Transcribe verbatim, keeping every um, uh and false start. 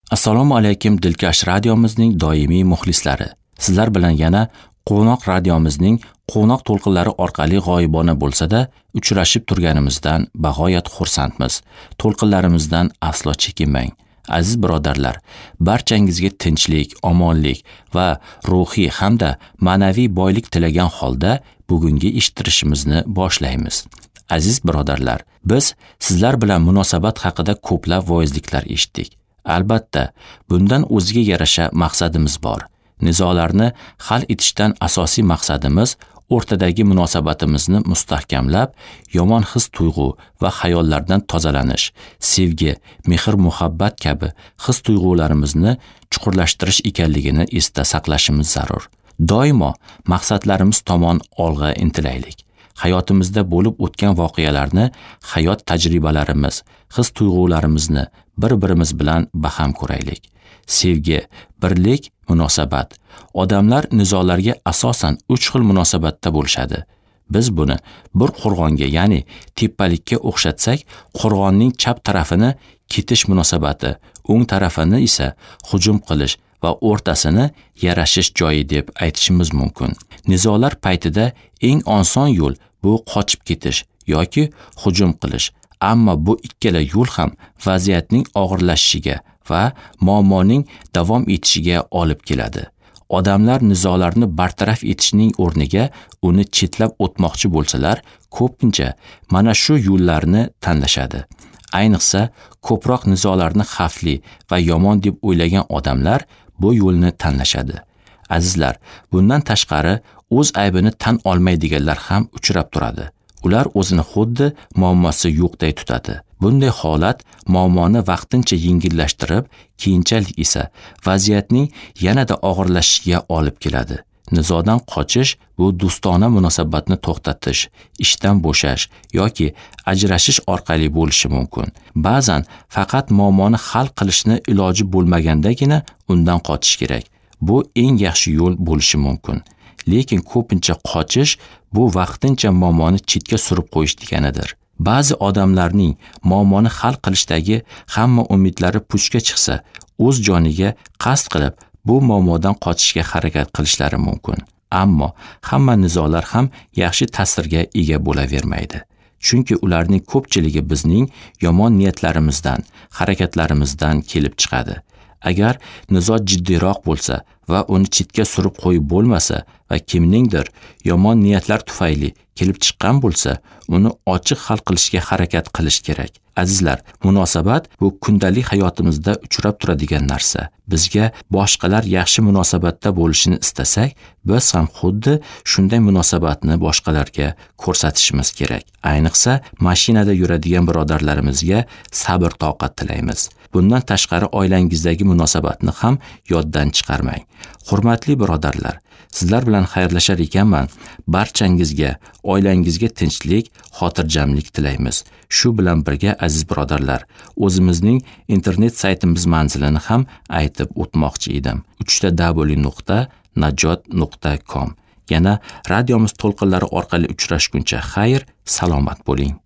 Assalomu alaykum Dilkash radiomizning doimiy muxlislari. Sizlar bilan yana Quvnoq radiomizning quvnoq to'lqinlari orqali g'oyibona bo'lsa-da uchrashib turganimizdan bag'oyat xursandmiz. To'lqinlarimizdan aslo chekinmang. Aziz birodarlar, barchangizga tinchlik, omonlik va ruhiy hamda ma'naviy boylik tilagan holda bugungi eshittirishimizni boshlaymiz. Aziz birodarlar, biz sizlar bilan munosabat haqida ko'plab voizliklar eshitdik. Albatta, bundan o'ziga yarasha maqsadimiz bor. Nizolarni hal etishdan asosiy maqsadimiz o'rtadagi munosabatimizni mustahkamlab, yomon his-tuyg'u va xayollardan tozalanish, sevgi, mehr-muhabbat kabi his-tuyg'ularimizni chuqurlashtirish ekanligini esda saqlashimiz zarur. Doimo maqsadlarimiz tomon olg'a intilaylik. Hayotimizda bo'lib o'tgan voqealarni, hayot tajribalarimiz, his-tuyg'ularimizni bir-birimiz bilan baham ko'raylik. Sevgi, birlik, munosabat. Odamlar nizolarga asosan uch xil munosabatda bo'lishadi. Biz buni bir qo'rg'onga, ya'ni tepalikka o'xshatsak, qo'rg'onning chap tarafini ketish munosabati, o'ng tarafini esa hujum qilish va o'rtasini yarashish joyi deb aytishimiz mumkin. Nizolar paytida eng oson yo'l bu qochib ketish yoki hujum qilish. Ammo bu ikkala yo'l ham vaziyatning og'irlashishiga va muammoning davom etishiga olib keladi. Odamlar nizolarni bartaraf etishning o'rniga uni chetlab o'tmoqchi bo'lsalar, ko'pincha mana shu yo'llarni tanlashadi. Ayniqsa, ko'proq nizolarni xavfli va yomon deb o'ylagan odamlar bu yo'lni tanlashadi. Azizlar, bundan tashqari o'z aybini tan olmaydiganlar ham uchrab turadi. Ular o'zini xuddi muammosi yo'qday tutadi. Bunday holat muammoni vaqtincha yengillashtirib, keyinchalik esa vaziyatning yanada og'irlashishiga olib keladi. Nizodan qochish bu do'stona munosabatni to'xtatish, ishdan bo'shash yoki ajrashish orqali bo'lishi mumkin. Ba'zan faqat muammoni hal qilishni iloji bo'lmagandagina undan qochish kerak. Bu eng yaxshi yo'l bo'lishi mumkin. Lekin ko'pincha qochish bu vaqtincha muammoni chetga surib qo'yish deganidir. Ba'zi odamlarning muammoni hal qilishdagi hamma umidlari puchga chiqsa, o'z joniga qasd qilib bu muammodan qochishga harakat qilishlari mumkin. Ammo hamma nizolar ham yaxshi ta'sirga ega bo'lavermaydi. Chunki ularning ko'pchiligi bizning yomon niyatlarimizdan, harakatlarimizdan kelib chiqadi. Agar nizo jiddiyroq bo'lsa va uni chetga surib qo'yib bo'lmasa va kimningdir yomon niyatlar tufayli kelib chiqqan bo'lsa, uni ochiq hal qilishga harakat qilish kerak. Azizlar, munosabat bu kundalik hayotimizda uchrab turadigan narsa. Bizga boshqalar yaxshi munosabatda bo'lishini istasak, biz ham xuddi shunday munosabatni boshqalarga ko'rsatishimiz kerak. Ayniqsa, mashinada yuradigan birodarlarimizga sabr toqat tilaymiz. Bundan tashqari oilangizdagi munosabatni ham yoddan chiqarmang. Hurmatli birodarlar, sizlar bilan xayrlashar ekanman, barchangizga, oilangizga tinchlik, xotirjamlik tilaymiz. Shu bilan birga aziz birodarlar, o'zimizning internet saytimiz manzilini ham aytib o'tmoqchi edim. uch ta w nuqta najot nuqta com. Yana radiomiz to'lqinlari orqali uchrashguncha xayr, salomat bo'ling.